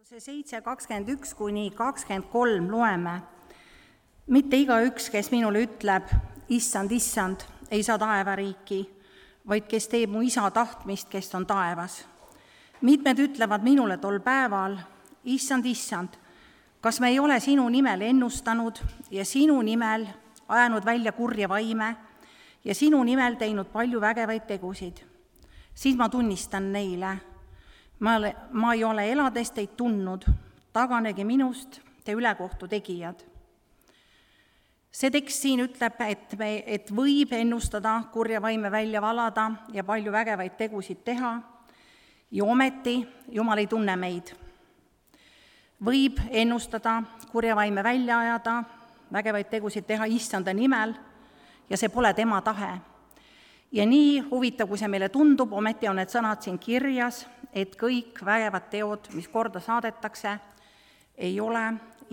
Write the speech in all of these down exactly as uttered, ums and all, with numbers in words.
see seitse kakskümmend üks kuni kakskümmend kolm loeme. Mitte igaüks, kes minule ütleb, issand, issand, ei saa taevariiki, vaid kes teeb mu isa tahtmist, kes on taevas. Mitmed ütlevad minule tol päeval, issand, issand, kas me ei ole sinu nimel ennustanud ja sinu nimel ajanud välja kurja vaime ja sinu nimel teinud palju vägevaid tegusid. Siis ma tunnistan neile, ma, ma ei ole elades teid tundnud, taganegi minust te ülekohtu tegijad. See tekst siin ütleb, et, me, et võib ennustada, kurja vaime välja valada ja palju vägevaid tegusid teha ja ometi Jumal ei tunne meid. Võib ennustada, kurja vaime välja ajada, vägevaid tegusid teha issanda nimel ja see pole tema tahe. Ja nii huvitav, kui see meile tundub, ometi on need sõnad siin kirjas, et kõik vägevad teod, mis korda saadetakse, ei ole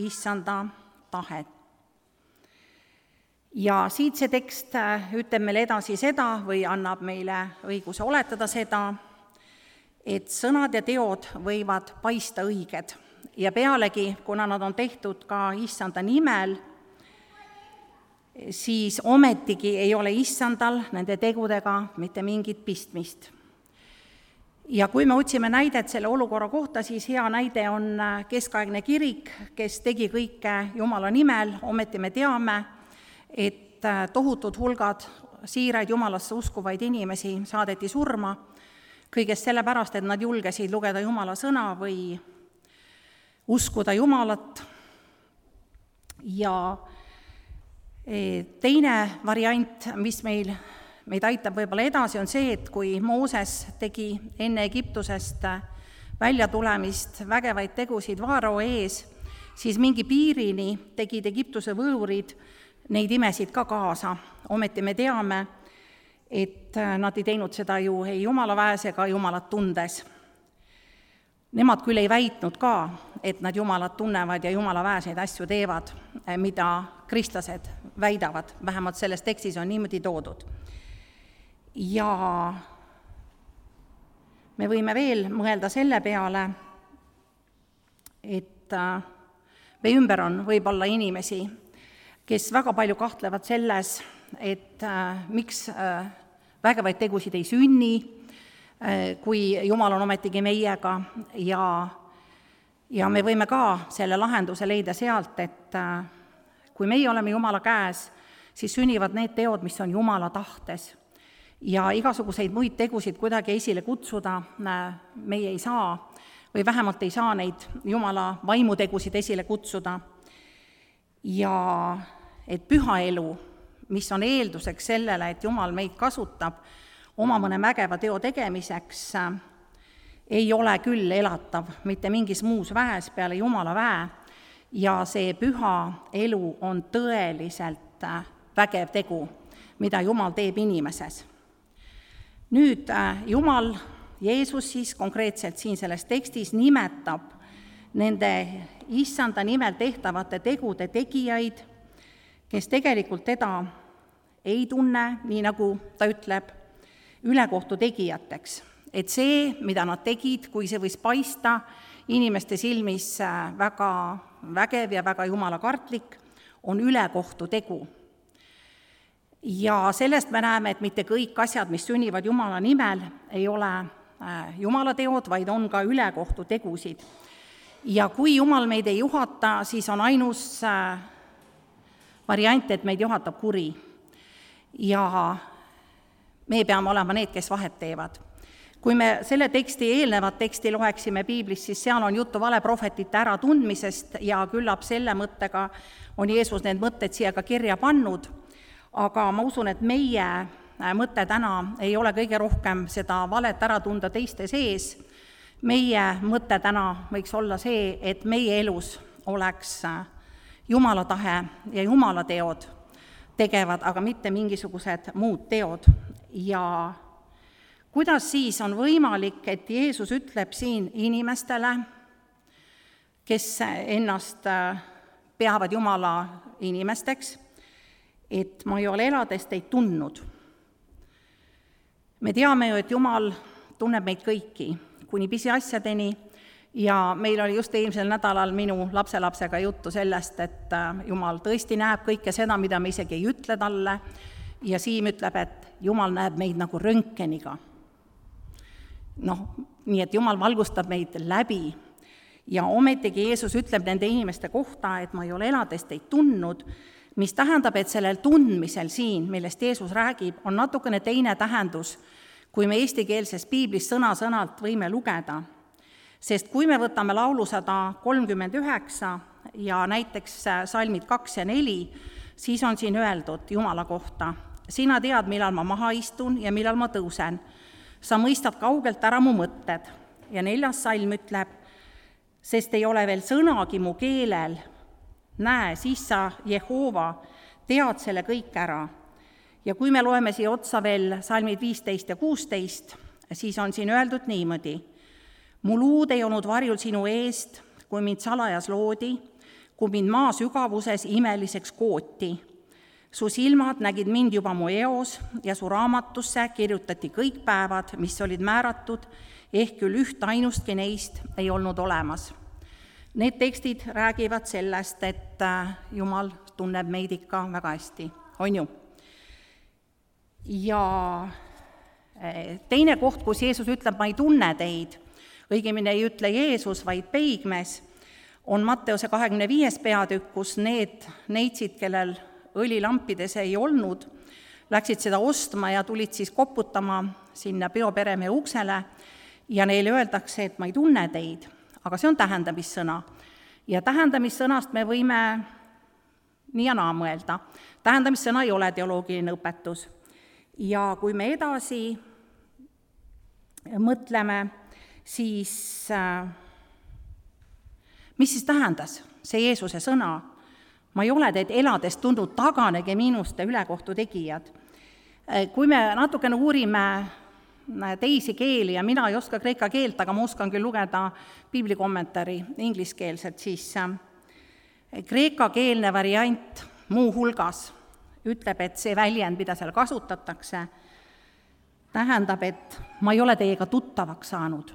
issanda tahet. Ja siit see tekst ütleb meile edasi seda või annab meile õiguse oletada seda, et sõnad ja teod võivad paista õiged ja pealegi, kuna nad on tehtud ka issanda nimel, siis ometigi ei ole issandal nende tegudega mitte mingit pistmist. Ja kui me otsime näidet selle olukorra kohta, siis hea näide on keskaegne kirik, kes tegi kõike Jumala nimel, ometi me teame, et tohutud hulgad siiraid Jumalasse uskuvaid inimesi saadeti surma, kõigest sellepärast, et nad julgesid lugeda Jumala sõna või uskuda Jumalat. Ja teine variant, mis meil, meid aitab võib-olla edasi, on see, et kui Mooses tegi enne Egiptusest välja tulemist vägevaid tegusid Vaarao ees, siis mingi piirini tegid Egiptuse võõrid neid imesid ka kaasa. Ometi me teame, et nad ei teinud seda ju ei Jumala väes ega Jumalat tundes. Nemad küll ei väitnud ka, et nad Jumalat tunnevad ja Jumala väes neid asju teevad, mida kristlased väidavad, vähemalt selles tekstis on niimoodi toodud. Ja me võime veel mõelda selle peale, et meie ümber on võib-olla inimesi, kes väga palju kahtlevad selles, et miks vägevaid tegusid ei sünni, kui Jumal on ometigi meiega ja, ja me võime ka selle lahenduse leida sealt, et kui meie oleme Jumala käes, siis sünnivad need teod, mis on Jumala tahtes. Ja igasuguseid muid tegusid kuidagi esile kutsuda meie ei saa, või vähemalt ei saa neid Jumala vaimutegusid esile kutsuda. Ja et püha elu, mis on eelduseks sellele, et Jumal meid kasutab oma mõne mägeva teo tegemiseks, ei ole küll elatav mitte mingis muus väes peale Jumala väe, ja see püha elu on tõeliselt vägev tegu, mida Jumal teeb inimeses. Nüüd Jumal, Jeesus siis konkreetselt siin selles tekstis nimetab nende issanda nimel tehtavate tegude tegijaid, kes tegelikult teda ei tunne, nii nagu ta ütleb, ülekohtu tegijateks. Et see, mida nad tegid, kui see võis paista inimeste silmis väga vägev ja väga jumalakartlik, on ülekohtu tegu. Ja sellest me näeme, et mitte kõik asjad, mis sünnivad Jumala nimel, ei ole Jumala teod, vaid on ka ülekohtu tegusid. Ja kui Jumal meid ei juhata, siis on ainus variant, et meid juhatab kuri. Ja me peame olema need, kes vahet teevad. Kui me selle teksti, eelnevat teksti loeksime piiblis, siis seal on juttu valeprohvetite äratundmisest ja küllap selle mõttega on Jeesus need mõtted siia ka kirja pannud, aga ma usun, et meie mõte täna ei ole kõige rohkem seda valet ära tunda teiste sees. Meie mõte täna võiks olla see, et meie elus oleks Jumala tahe ja Jumala teod tegevad, aga mitte mingisugused muud teod. Ja kuidas siis on võimalik, et Jeesus ütleb siin inimestele, kes ennast peavad Jumala inimesteks, et ma ei ole elades teid tundnud. Me teame ju, et Jumal tunneb meid kõiki, kuni pisiasjadeni Ja meil oli just eelmisel nädalal minu lapselapsega juttu sellest, et Jumal tõesti näeb kõike seda, mida me isegi ei ütle talle, ja Siim ütleb, et Jumal näeb meid nagu röntgeniga. Noh, nii et Jumal valgustab meid läbi ja ometigi Jeesus ütleb nende inimeste kohta, et ma ei ole elades teid tundnud, mis tähendab, et sellel tundmisel siin, millest Jeesus räägib, on natukene teine tähendus, kui me eestikeelses piiblis sõna-sõnalt võime lugeda. Sest kui me võtame laulusada kolmkümmend üheksa ja näiteks salmid kaks ja neli, siis on siin öeldud Jumala kohta: sina tead, millal ma maha istun ja millal ma tõusen. Sa mõistad kaugelt ära mu mõtted. Ja neljas salm ütleb: sest ei ole veel sõnagi mu keelel. Näe, siis sa, Jehova, tead selle kõik ära. Ja kui me loeme siia otsa veel salmid viisteist ja kuusteist, siis on siin öeldud niimoodi: mu luud ei olnud varjul sinu eest, kui mind salajas loodi, kui mind maa sügavuses imeliseks kooti. Su silmad nägid mind juba mu eos ja su raamatusse kirjutati kõik päevad, mis olid määratud, ehk küll üht ainustki neist ei olnud olemas. Need tekstid räägivad sellest, et Jumal tunneb meid ikka väga hästi, on ju? Ja teine koht, kus Jeesus ütleb, ma ei tunne teid, õigemini ei ütle Jeesus, vaid peigmes, on Matteuse kahekümne viies peatükk, kus need neitsid, kellel õlilampides ei olnud, läksid seda ostma ja tulid siis koputama sinna peoperemehe uksele ja neile öeldakse, et ma ei tunne teid, aga see on tähendamissõna. Ja tähendamissõnast me võime nii ja naa mõelda. Tähendamissõna ei ole teoloogiline õpetus. Ja kui me edasi mõtleme, siis mis siis tähendas see Jeesuse sõna? Ma ei ole teid elades tundnud, taganege minust ülekohtu tegijad. Kui me natukene uurime teisi keeli, ja mina ei oska kreeka keelt, aga ma oskan küll lugeda piiblikommentaari ingliskeelselt, siis kreeka keelne variant muu hulgas ütleb, et see väljend, mida seal kasutatakse, tähendab, et ma ei ole teiega tuttavaks saanud.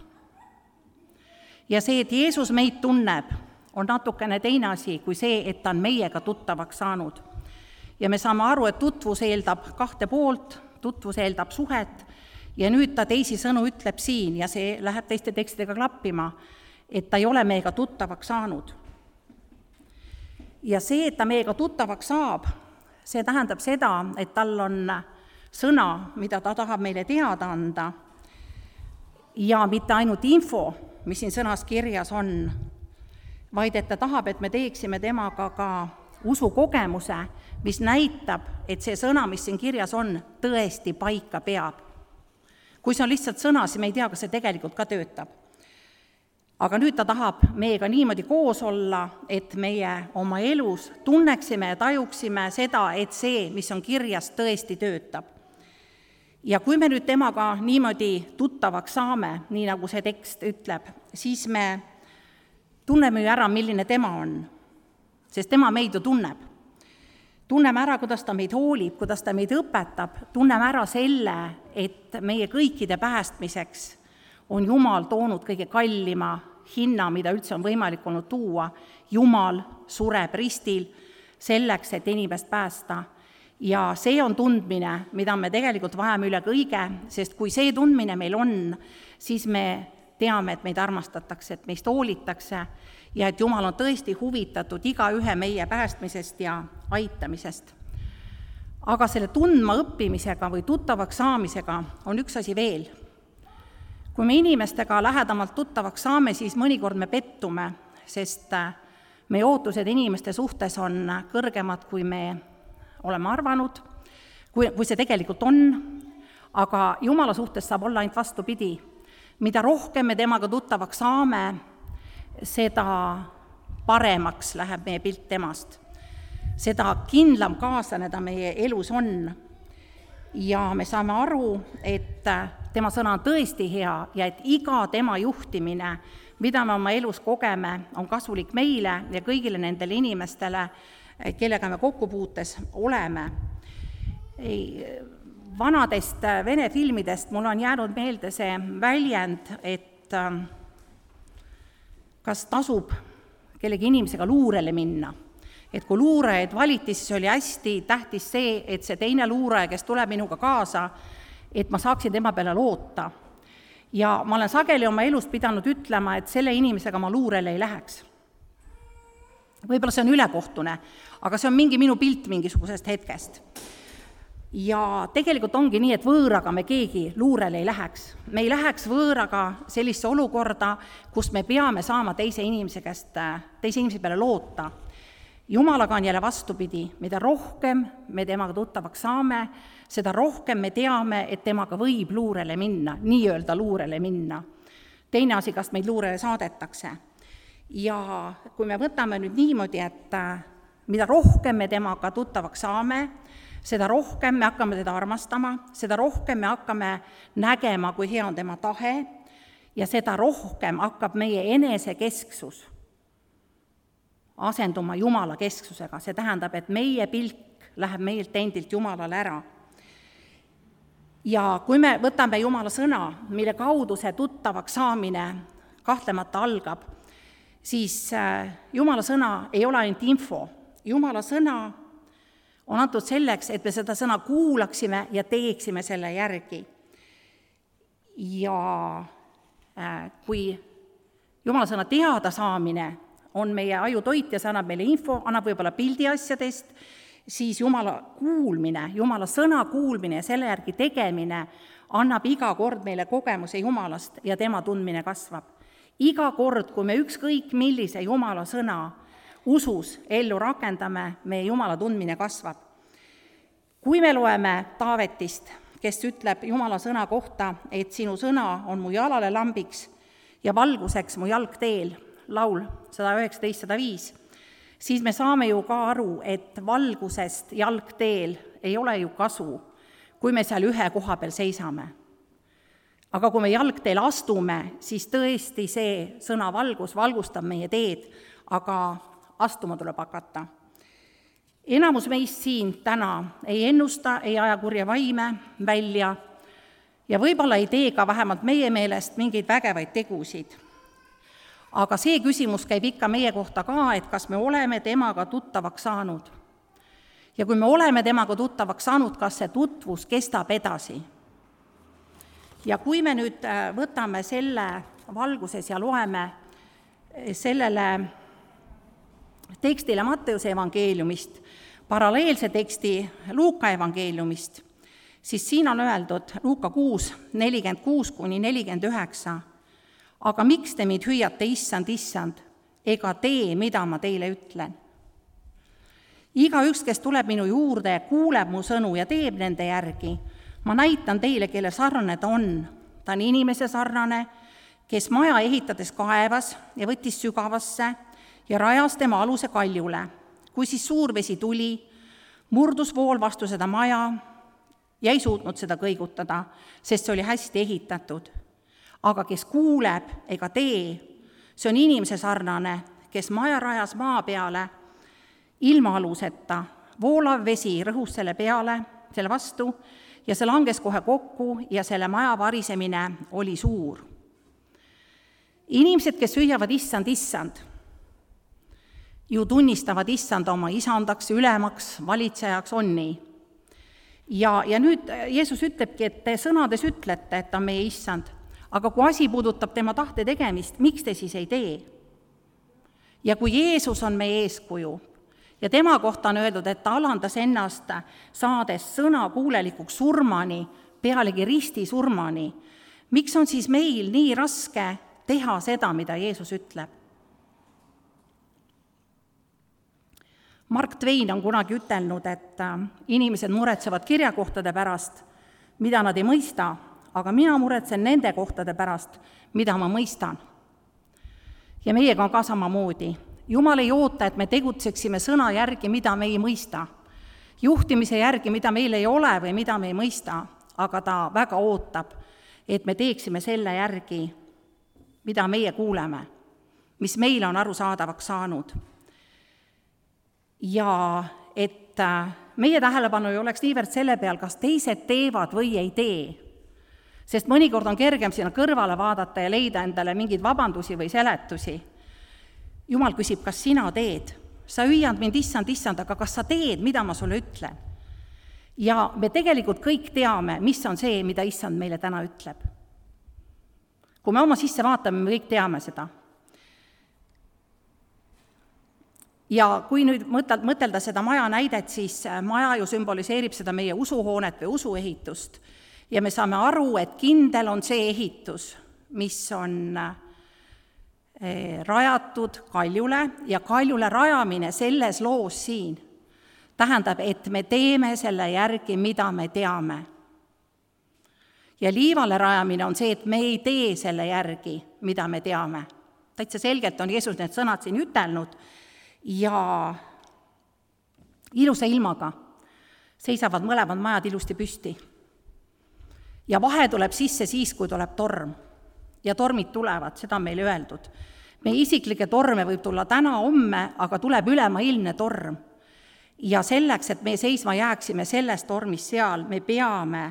Ja see, et Jeesus meid tunneb, on natukene teine asi kui see, et ta on meiega tuttavaks saanud. Ja me saame aru, et tutvus eeldab kahte poolt, tutvus eeldab suhet, ja nüüd ta teisi sõnu ütleb siin, ja see läheb teiste tekstidega klappima, et ta ei ole meiega tuttavaks saanud. Ja see, et ta meiega tuttavaks saab, see tähendab seda, et tal on sõna, mida ta tahab meile teada anda, ja mitte ainult info, mis siin sõnas kirjas on, vaid et ta tahab, et me teeksime temaga ka usukogemuse, mis näitab, et see sõna, mis siin kirjas on, tõesti paika peab. Kui see on lihtsalt sõna, siis me ei tea, kas see tegelikult ka töötab. Aga nüüd ta tahab meiega niimoodi koos olla, et meie oma elus tunneksime ja tajuksime seda, et see, mis on kirjas, tõesti töötab. Ja kui me nüüd temaga niimoodi tuttavaks saame, nii nagu see tekst ütleb, siis me tunneme ju ära, milline tema on, sest tema meid ju tunneb. Tunneme ära, kuidas ta meid hoolib, kuidas ta meid õpetab, tunneme ära selle, et meie kõikide päästmiseks on Jumal toonud kõige kallima hinna, mida üldse on võimalik olnud tuua. Jumal sureb ristil selleks, et inimest päästa. Ja see on tundmine, mida me tegelikult vajame üle kõige, sest kui see tundmine meil on, siis me teame, et meid armastatakse, et meist hoolitakse ja et Jumal on tõesti huvitatud iga ühe meie päästmisest ja aitamisest. Aga selle tundma õppimisega või tuttavaks saamisega on üks asi veel. Kui me inimestega lähedamalt tuttavaks saame, siis mõnikord me pettume, sest meie ootused inimeste suhtes on kõrgemad, kui me oleme arvanud, kui, kui see tegelikult on, aga Jumala suhtes saab olla ainult vastupidi. Mida rohkem me temaga tuttavaks saame, seda paremaks läheb meie pilt temast. Seda kindlam kaaslane ta meie elus on. Ja me saame aru, et tema sõna on tõesti hea ja et iga tema juhtimine, mida me oma elus kogeme, on kasulik meile ja kõigile nendele inimestele, kellega me kokkupuutes oleme. Vanadest Vene filmidest mul on jäänud meelde see väljend, et kas tasub kellegi inimesega luurele minna. Et kui luurajaid valiti, siis oli hästi tähtis see, et see teine luuraja, kes tuleb minuga kaasa, et ma saaksin tema peale loota. Ja ma olen sageli oma elus pidanud ütlema, et selle inimesega ma luurele ei läheks. Võib-olla see on ülekohtune, aga see on mingi minu pilt mingisugusest hetkest. Ja tegelikult ongi nii, et võõraga me keegi luurele ei läheks. Me ei läheks võõraga sellisse olukorda, kus me peame saama teise inimese käest, teise inimese peale loota. Jumalaga on jälle vastupidi, mida rohkem me temaga tuttavaks saame, seda rohkem me teame, et temaga võib luurele minna, nii-öelda luurele minna. Teine asi, kas meid luurele saadetakse. Ja kui me võtame nüüd niimoodi, et mida rohkem me temaga tuttavaks saame, seda rohkem me hakkame teda armastama, seda rohkem me hakkame nägema, kui hea on tema tahe, ja seda rohkem hakkab meie enesekesksus asenduma Jumala kesksusega. See tähendab, et meie pilk läheb meilt endilt Jumalale ära. Ja kui me võtame Jumala sõna, mille kaudu see tuttavaks saamine kahtlemata algab, siis Jumala sõna ei ole ainult info. Jumala sõna on antud selleks, et me seda sõna kuulaksime ja teeksime selle järgi. Ja kui Jumala sõna teada saamine on meie aju toit ja see annab meile info, annab võib-olla pildi asjadest, siis Jumala kuulmine, Jumala sõna kuulmine ja selle järgi tegemine annab iga kord meile kogemuse Jumalast ja tema tundmine kasvab. Iga kord, kui me ükskõik millise Jumala sõna usus ellu rakendame, meie Jumala tundmine kasvab. Kui me loeme Taavetist, kes ütleb Jumala sõna kohta, et sinu sõna on mu jalale lambiks ja valguseks mu jalgteel, laul sada üheksateist sada viis, siis me saame ju ka aru, et valgusest jalgteel ei ole ju kasu, kui me seal ühe koha peal seisame. Aga kui me jalgteel astume, siis tõesti see sõna valgus valgustab meie teed, aga astuma tuleb hakata. Enamus meist siin täna ei ennusta, ei aja kurja vaime välja ja võib-olla ei tee ka vähemalt meie meelest mingeid vägevaid tegusid. Aga see küsimus käib ikka meie kohta ka, et kas me oleme temaga tuttavaks saanud. Ja kui me oleme temaga tuttavaks saanud, kas see tutvus kestab edasi. Ja kui me nüüd võtame selle valguses ja loeme sellele tekstile Matteuse evangeeliumist, paralleelse teksti Luuka evangeeliumist, siis siin on öeldud Luuka kuus, nelikümmend kuus kuni nelikümmend üheksa, aga miks te mind hüüate, issand, issand, ega tee, mida ma teile ütlen? Igaüks, kes tuleb minu juurde ja kuuleb mu sõnu ja teeb nende järgi, ma näitan teile, kelle sarnane ta on. Ta on inimese sarnane, kes maja ehitades kaevas ja võttis sügavasse ja rajas tema aluse kaljule. Kui siis suur vesi tuli, murdus vool vastu seda maja ja ei suutnud seda kõigutada, sest see oli hästi ehitatud. Aga kes kuuleb ega tee, see on inimese sarnane, kes maja rajas maa peale ilma aluseta, voolav vesi rõhus selle peale, selle vastu, ja see langes kohe kokku ja selle maja varisemine oli suur. Inimesed, kes hüüavad issand, issand, ju tunnistavad issand oma isandaks, ülemaks, valitsejaks, on nii. Ja, ja nüüd Jeesus ütlebki, et te sõnades ütlete, et ta on meie issand, aga kui asi puudutab tema tahte tegemist, miks te siis ei tee? Ja kui Jeesus on meie eeskuju ja tema kohta on öeldud, et ta alandas ennast saades sõna kuulelikuks surmani, pealegi risti surmani, miks on siis meil nii raske teha seda, mida Jeesus ütleb? Mark Twain on kunagi ütelnud, et inimesed muretsevad kirjakohtade pärast, mida nad ei mõista, aga mina muretsen nende kohtade pärast, mida ma mõistan. Ja meiega on ka samamoodi. Jumal ei oota, et me tegutseksime sõna järgi, mida me ei mõista. Juhtimise järgi, mida meil ei ole või mida me ei mõista, aga ta väga ootab, et me teeksime selle järgi, mida meie kuuleme, mis meile on arusaadavaks saanud. Ja et meie tähelepanu ei oleks niivõrd selle peal, kas teised teevad või ei tee, sest mõnikord on kergem sinna kõrvale vaadata ja leida endale mingeid vabandusi või seletusi, Jumal küsib, kas sina teed? Sa hüüad mind, issand, issand, aga kas sa teed, mida ma sulle ütlen? Ja me tegelikult kõik teame, mis on see, mida issand meile täna ütleb. Kui me oma sisse vaatame, me kõik teame seda. Ja kui nüüd mõtelda seda maja näidet, siis maja ju sümboliseerib seda meie usuhoonet või usuehitust. Ja me saame aru, et kindel on see ehitus, mis on rajatud kaljule ja kaljule rajamine selles loos siin tähendab, et me teeme selle järgi, mida me teame. Ja liivale rajamine on see, et me ei tee selle järgi, mida me teame. Täitsa selgelt on Jeesus need sõnad siin ütelnud ja ilusa ilmaga seisavad mõlemad majad ilusti püsti. Ja vahe tuleb sisse siis, kui tuleb torm. Ja tormid tulevad, seda on meile öeldud. Meie isiklikke torme võib tulla täna, homme, aga tuleb ülemaailmne torm. Ja selleks, et me seisma jääksime selles tormis seal, me peame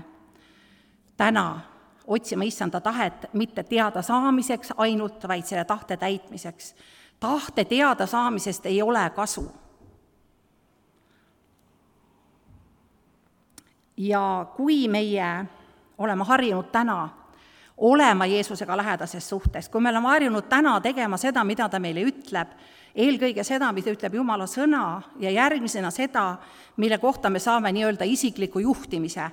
täna otsima issanda tahet mitte teada saamiseks ainult, vaid selle tahte täitmiseks. Tahte teada saamisest ei ole kasu. Ja kui meie oleme harjunud täna olema Jeesusega lähedases suhtes, kui me oleme harjunud täna tegema seda, mida ta meile ütleb, eelkõige seda, mida ütleb Jumala sõna ja järgmisena seda, mille kohta me saame nii-öelda isikliku juhtimise.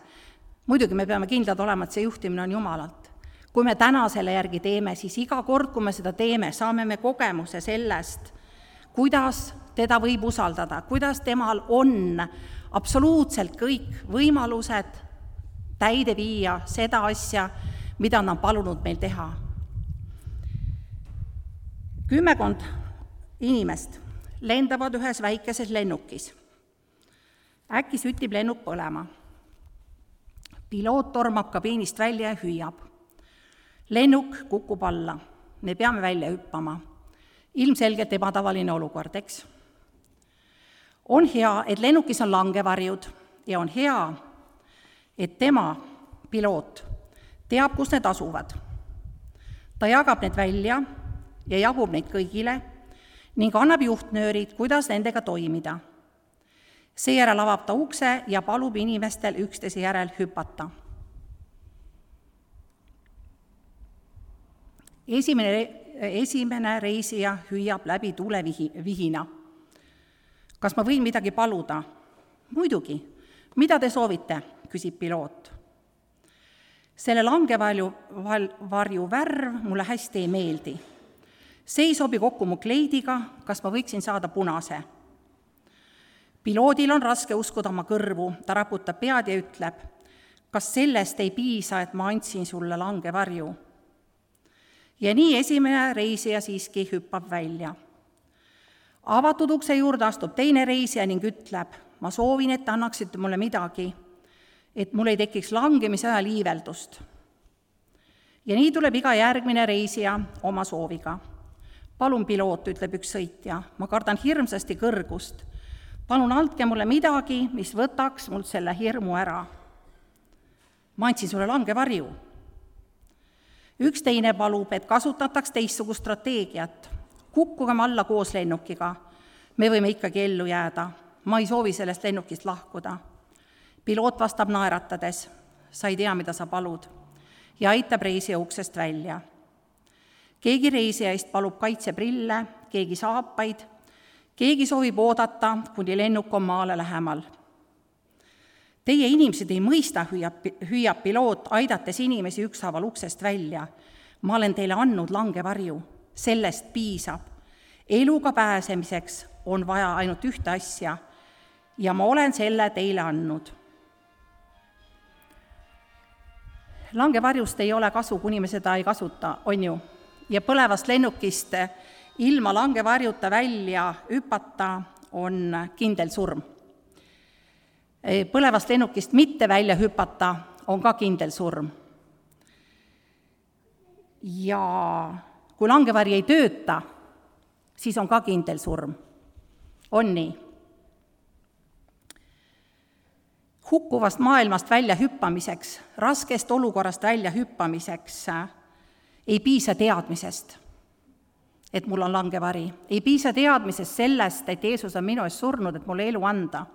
Muidugi me peame kindlad olema, et see juhtimine on Jumalalt. Kui me täna selle järgi teeme, siis iga kord, kui me seda teeme, saame me kogemuse sellest, kuidas teda võib usaldada, kuidas temal on absoluutselt kõik võimalused täide viia seda asja, mida on palunud meil teha. Kümmekond inimest lendavad ühes väikeses lennukis. Äkki sütib lennuk põlema. Piloot tormab kabiinist välja ja hüüab. Lennuk kukub alla. Me peame välja hüppama. Ilmselgelt ebatavaline olukord, eks? On hea, et lennukis on langevarjud ja on hea, et tema, piloot, teab, kus need asuvad. Ta jagab need välja ja jagub neid kõigile ning annab juhtnöörid, kuidas nendega toimida. Seejärel avab ta ukse ja palub inimestel üksteise järel hüpata. Esimene, esimene reisija hüüab läbi tulevihina. Kas ma võin midagi paluda? Muidugi. Mida te soovite? Küsib piloot. Selle langevarju varju värv mulle hästi ei meeldi. See ei sobi kokku mu kleidiga, kas ma võiksin saada punase. Piloodil on raske uskuda oma kõrvu, ta raputab pead ja ütleb, kas sellest ei piisa, et ma andsin sulle langevarju. Ja nii esimene reisija siiski hüppab välja. Avatud ukse juurde astub teine reisija ning ütleb, ma soovin, et annaksite mulle midagi, et mul ei tekiks langemise ajal iiveldust. Ja nii tuleb iga järgmine reisija oma sooviga. Palun, piloot, ütleb üks sõitja, ma kardan hirmsasti kõrgust. Palun andke mulle midagi, mis võtaks mul selle hirmu ära. Ma andsin sulle langevarju. Üks teine palub, et kasutataks teistsugust strateegiat. Kukkugem alla koos lennukiga. Me võime ikkagi ellu jääda. Ma ei soovi sellest lennukist lahkuda. Piloot vastab naeratades. Sa ei tea, mida sa palud. Ja aitab reisija uksest välja. Keegi reisijaist palub kaitseprille, keegi saapaid, keegi soovib oodata, kuni lennuk on maale lähemal. Teie inimesed ei mõista, hüüab, hüüab piloot, aidates inimesi ükshaaval uksest välja. Ma olen teile andnud langevarju, sellest piisab. Eluga pääsemiseks on vaja ainult ühte asja ja ma olen selle teile andnud. Langevarjust ei ole kasu, kuni me seda ei kasuta, on ju. Ja põlevast lennukist ilma langevarjuta välja hüpata on kindel surm. Põlevast lennukist mitte välja hüpata on ka kindel surm. Ja kui langevari ei tööta, siis on ka kindel surm. On nii. Hukkuvast maailmast välja hüppamiseks, raskest olukorrast välja hüppamiseks ei piisa teadmisest et mul on langevari. Ei piisa teadmisest sellest, et Jeesus on minu eest surnud, et mulle elu anda.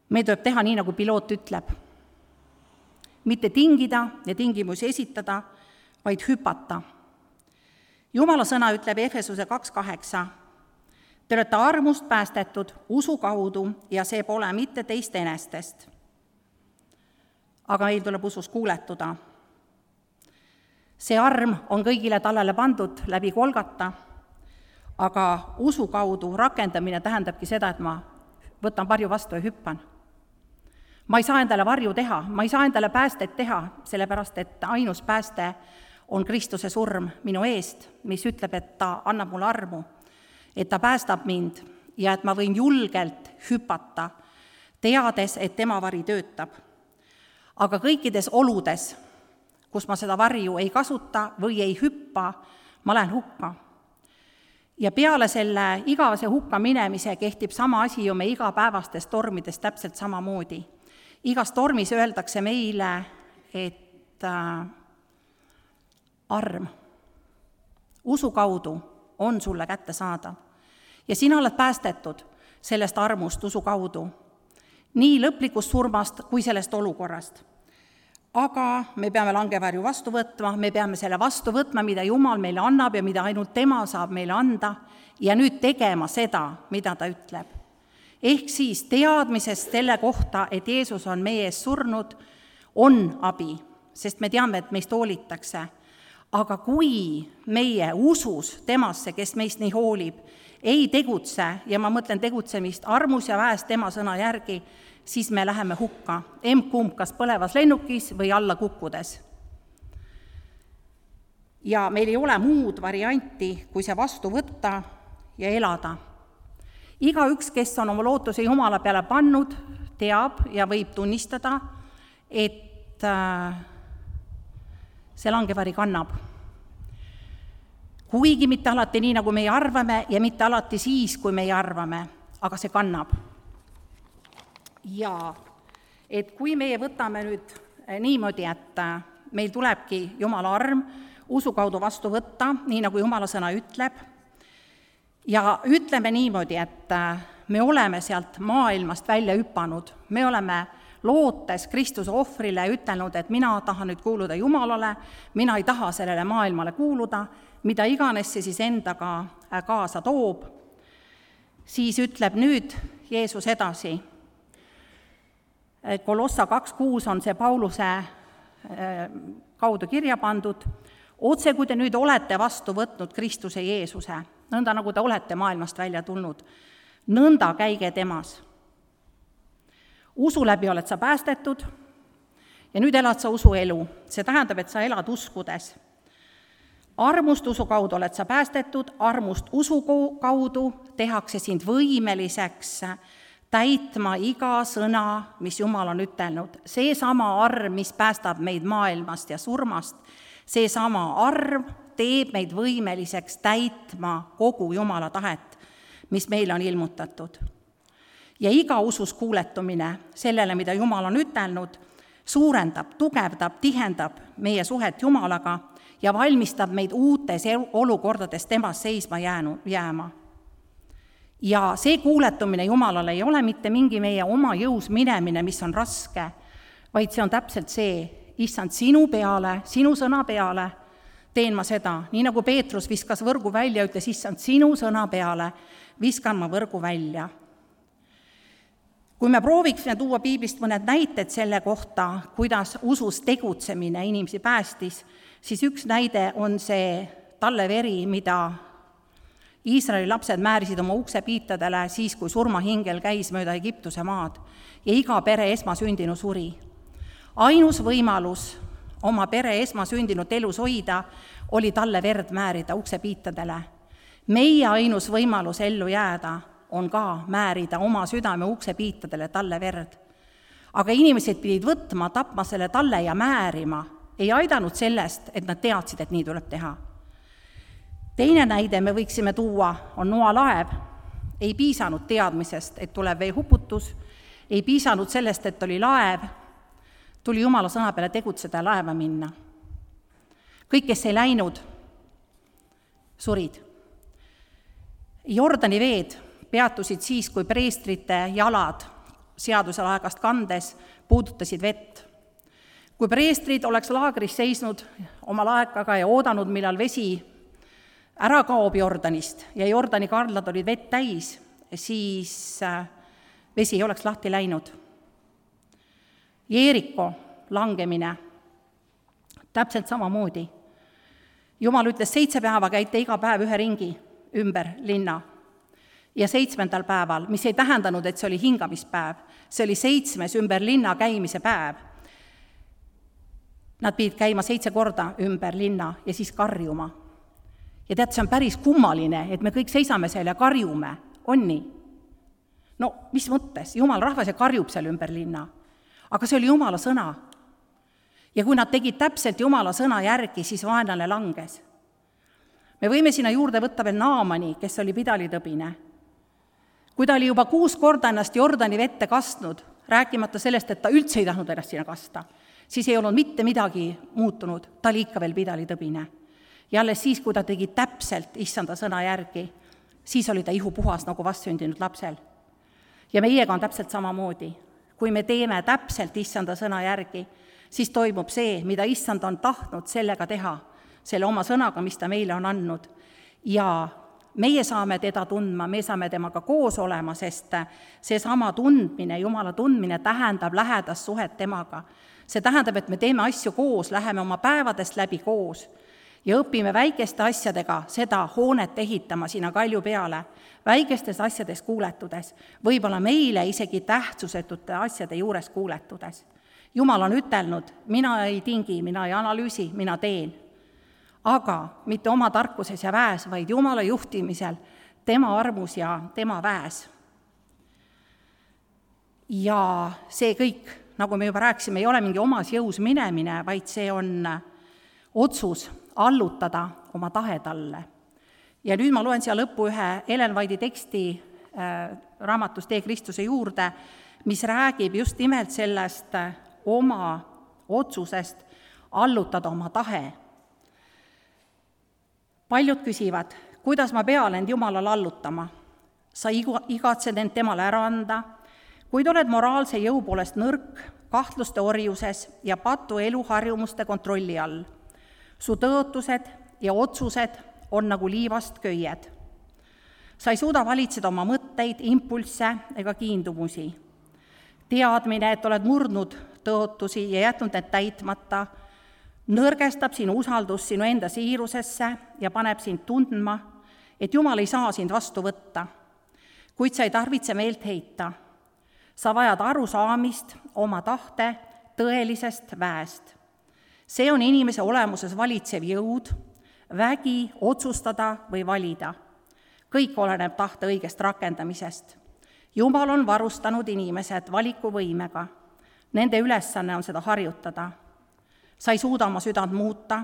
Meil tuleb teha nii, nagu piloot ütleb. Mitte tingida ja tingimusi esitada, vaid hüpata. Jumala sõna ütleb Efesuse kaks kaheksa. Te olete armust päästetud usu kaudu ja see pole mitte teist enestest. Aga meil tuleb usus kuuletuda. See arm on kõigile tallele pandud läbi Golgata, aga usu kaudu rakendamine tähendabki seda, et ma võtan varju vastu ja hüppan. Ma ei saa endale varju teha, ma ei saa endale päästet teha, sellepärast et ainus pääste on Kristuse surm minu eest, mis ütleb, et ta annab mulle armu, et ta päästab mind ja et ma võin julgelt hüpata, teades, et tema vari töötab. Aga kõikides oludes, kus ma seda varju ei kasuta või ei hüppa, ma lähen hukka. Ja peale selle igavese hukka minemise kehtib sama asi ju me igapäevastes tormides täpselt samamoodi. Igas tormis öeldakse meile, et äh, arm usu kaudu on sulle kätte saada. Ja sina oled päästetud sellest armust usu kaudu, nii lõplikust surmast kui sellest olukorrast. Aga me peame langevarju vastu võtma, me peame selle vastu võtma, mida Jumal meile annab ja mida ainult tema saab meile anda, ja nüüd tegema seda, mida ta ütleb. Ehk siis teadmisest selle kohta, et Jeesus on meie ees surnud, on abi, sest me teame, et meist hoolitakse. Aga kui meie usus temasse, kes meist nii hoolib, ei tegutse, ja ma mõtlen tegutsemist armus ja väes tema sõna järgi, siis me läheme hukka, emb-kumb kas põlevas lennukis või alla kukkudes. Ja meil ei ole muud varianti, kui see vastu võtta ja elada. Igaüks, kes on oma lootuse Jumala peale pannud, teab ja võib tunnistada, et see langevari kannab. Kuigi mitte alati nii, nagu meie arvame, ja mitte alati siis, kui meie arvame, aga see kannab. Ja et kui meie võtame nüüd niimoodi, et meil tulebki Jumala arm usu kaudu vastu võtta, nii nagu Jumala sõna ütleb, ja ütleme niimoodi, et me oleme sealt maailmast välja hüpanud, me oleme lootes Kristuse ohvrile ütelnud, et mina tahan nüüd kuuluda Jumalale, mina ei taha sellele maailmale kuuluda, mida iganes see siis endaga kaasa toob, siis ütleb nüüd Jeesus edasi. Kolossa kaks kuus on see Pauluse kaudu kirja pandud, otse kui te nüüd olete vastu võtnud Kristuse Jeesuse, nõnda nagu te olete maailmast välja tulnud, nõnda käige temas. Usu läbi oled sa päästetud ja nüüd elad sa usu elu, see tähendab, et sa elad uskudes. Armust usu kaudu oled sa päästetud, armust usu kaudu tehakse sind võimeliseks täitma iga sõna, mis Jumal on ütelnud. See sama arm, mis päästab meid maailmast ja surmast, see sama arm teeb meid võimeliseks täitma kogu Jumala tahet, mis meile on ilmutatud. Ja iga usus kuuletumine sellele, mida Jumal on ütelnud, suurendab, tugevdab, tihendab meie suhet Jumalaga ja valmistab meid uutes olukordades temast seisma jäänu, jääma. Ja see kuuletumine Jumalale ei ole mitte mingi meie oma jõus minemine, mis on raske, vaid see on täpselt see, issand, sinu peale, sinu sõna peale teen ma seda, nii nagu Peetrus viskas võrgu välja, ütles, issand, sinu sõna peale viskan ma võrgu välja. Kui me prooviksime tuua piiblist mõned näited selle kohta, kuidas usus tegutsemine inimesi päästis, siis üks näide on see talleveri, mida Iisraeli lapsed määrisid oma uksepiitadele siis, kui surmahingel käis mööda Egiptuse maad ja iga pere esmasündinu suri. Ainus võimalus oma pere esmasündinut elus hoida oli talle verd määrida uksepiitadele. Meie ainus võimalus ellu jääda on ka määrida oma südame uksepiitadele talle verd. Aga inimesed pidid võtma, tapma selle talle ja määrima. Ei aidanud sellest, et nad teadsid, et nii tuleb teha. Teine näide me võiksime tuua on Noa laev. Ei piisanud teadmisest, et tuleb veehuputus, ei piisanud sellest, et oli laev, tuli Jumala sõna peale tegutseda ja laeva minna. Kõik, kes ei läinud surid. Jordani veed peatusid siis, kui preestrite jalad seaduselaegast kandes puudutasid vett. Kui preestrid oleks laagris seisnud oma laekaga ja oodanud, millal vesi ära kaob Jordanist ja Jordani kardlad olid vett täis, siis vesi ei oleks lahti läinud. Jeeriko langemine täpselt samamoodi. Jumal ütles, seitse päeva käite iga päev ühe ringi ümber linna. Ja seitsmendal päeval, mis ei tähendanud, et see oli hingamispäev, see oli seitsmes ümber linna käimise päev. Nad pidid käima seitse korda ümber linna ja siis karjuma. Ja tead, see on päris kummaline, et me kõik seisame seal ja karjume. On nii? No, mis mõttes? Jumal rahvas ja karjub seal ümber linna. Aga see oli Jumala sõna. Ja kui nad tegid täpselt Jumala sõna järgi, siis vaenlane langes. Me võime sinna juurde võtta veel Naamani, kes oli pidalitõbine. Kui ta oli juba kuus korda ennast Jordani vette kastnud, rääkimata sellest, et ta üldse ei tahtnud ennast sinna kasta, siis ei olnud mitte midagi muutunud, ta oli ikka veel pidalitõbine. Ja alles siis, kui ta tegi täpselt issanda sõna järgi, siis oli ta ihu puhas nagu vastsündinud lapsel. Ja meiega on täpselt samamoodi. Kui me teeme täpselt issanda sõna järgi, siis toimub see, mida issand on tahtnud sellega teha, selle oma sõnaga, mis ta meile on andnud. Ja meie saame teda tundma, me saame temaga koos olema, sest see sama tundmine, Jumala tundmine tähendab lähedast suhet temaga. See tähendab, et me teeme asju koos, läheme oma päevadest läbi koos ja õpime väikeste asjadega seda hoonet ehitama sinna kalju peale, väikestes asjades kuuletudes, võib-olla meile isegi tähtsusetute asjade juures kuuletudes. Jumal on ütelnud, mina ei tingi, mina ei analüüsi, mina teen. Aga mitte oma tarkuses ja väes, vaid Jumala juhtimisel, tema armus ja tema väes. Ja see kõik, nagu me juba rääkisime, ei ole mingi omas jõus minemine, vaid see on otsus allutada oma tahe talle. Ja nüüd ma loen siia lõppu ühe Ellen White'i teksti äh, raamatust Tee Kristuse juurde, mis räägib just nimelt sellest äh, oma otsusest allutada oma tahe. Paljud küsivad, kuidas ma pean end Jumalale allutama? Sa igatsed end temale ära anda, kuid oled moraalse jõu poolest nõrk, kahtluste orjuses ja patu eluharjumuste kontrolli all. Su tõotused ja otsused on nagu liivast köied. Sa ei suuda valitseda oma mõtteid, impulsse ega kiindumusi. Teadmine, et oled murdnud tõotusi ja jätnud need täitmata, nõrgestab sinu usaldus sinu enda siirusesse ja paneb sind tundma, et Jumal ei saa sind vastu võtta, kuid sa ei tarvitse meelt heita. Sa vajad arusaamist oma tahte tõelisest väest. See on inimese olemuses valitsev jõud, vägi otsustada või valida. Kõik oleneb tahte õigest rakendamisest. Jumal on varustanud inimesed valikuvõimega. Nende ülesanne on seda harjutada. Sa ei suuda oma südant muuta,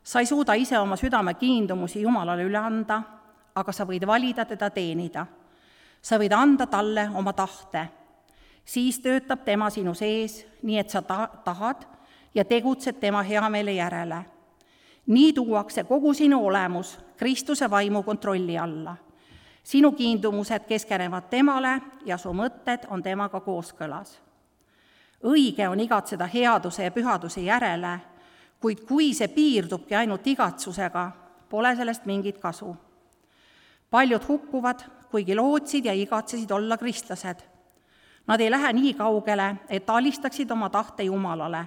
sa ei suuda ise oma südame kiindumusi Jumalale üle anda, aga sa võid valida teda teenida. Sa võid anda talle oma tahte. Siis töötab tema sinu sees, nii et sa ta- tahad ja tegutsed tema heameele järele. Nii tuuakse kogu sinu olemus Kristuse vaimu kontrolli alla. Sinu kiindumused keskenevad temale ja su mõtted on temaga kooskõlas. Õige on igatseda headuse ja pühaduse järele, kuid kui see piirdubki ainult igatsusega, pole sellest mingit kasu. Paljud hukkuvad, kuigi lootsid ja igatsesid olla kristlased. Nad ei lähe nii kaugele, et alistaksid oma tahte Jumalale.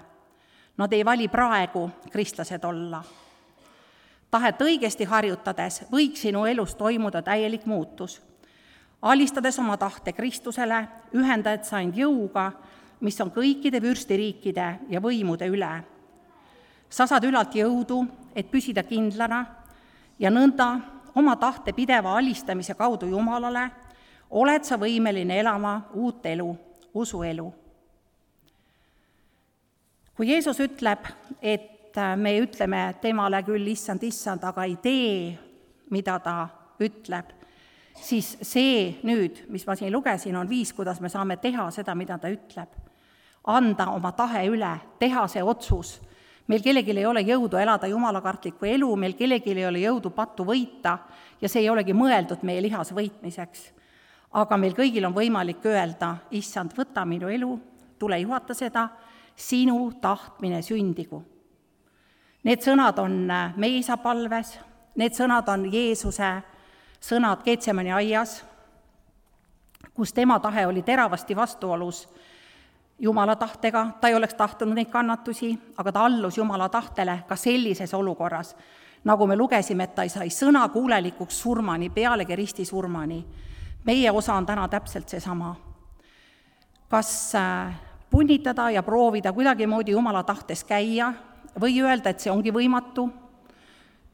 Nad ei vali praegu kristlased olla. Tahet õigesti harjutades võiks sinu elus toimuda täielik muutus. Alistades oma tahte Kristusele, ühendad sa end jõuga, mis on kõikide vürstiriikide ja võimude üle. Sa saad ülalt jõudu, et püsida kindlana ja nõnda oma tahte pideva alistamise kaudu Jumalale oled sa võimeline elama uut elu, usuelu. Kui Jeesus ütleb, et me ütleme temale küll issand, issand, aga ei tee, mida ta ütleb, siis see nüüd, mis ma siin lugesin, on viis, kuidas me saame teha seda, mida ta ütleb. Anda oma tahe üle, teha see otsus, meil kellelgi ei ole jõudu elada jumalakartlikku elu, meil kellelgi ei ole jõudu pattu võita ja see ei olegi mõeldud meie lihas võitmiseks. Aga meil kõigil on võimalik öelda, issand, võta minu elu, tule juhata seda, sinu tahtmine sündigu. Need sõnad on meie isa palves, need sõnad on Jeesuse sõnad Getsemani aias, kus tema tahe oli teravasti vastuolus Jumala tahtega, ta ei oleks tahtnud neid kannatusi, aga ta allus Jumala tahtele ka sellises olukorras, nagu me lugesime, et ta sai sõna kuulelikuks surmani, pealegi risti surmani. Meie osa on täna täpselt seesama. Kas punnitada ja proovida kuidagimoodi Jumala tahtes käia või öelda, et see ongi võimatu,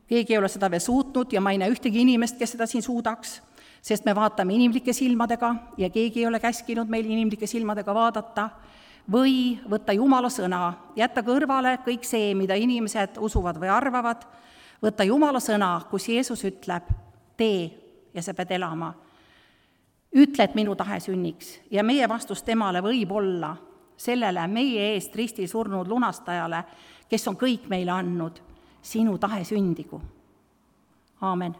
keegi ei ole seda veel suutnud ja ma ei näe ühtegi inimest, kes seda siin suudaks, sest me vaatame inimlike silmadega ja keegi ei ole käskinud meil inimlike silmadega vaadata, või võtta Jumala sõna, jätta kõrvale kõik see, mida inimesed usuvad või arvavad, võtta Jumala sõna, kus Jeesus ütleb, tee ja sa pead elama. Ütle, et minu tahe sünniks ja meie vastus temale võib olla sellele meie eest ristil surnud lunastajale, kes on kõik meile andnud, sinu tahe sündigu. Aamen.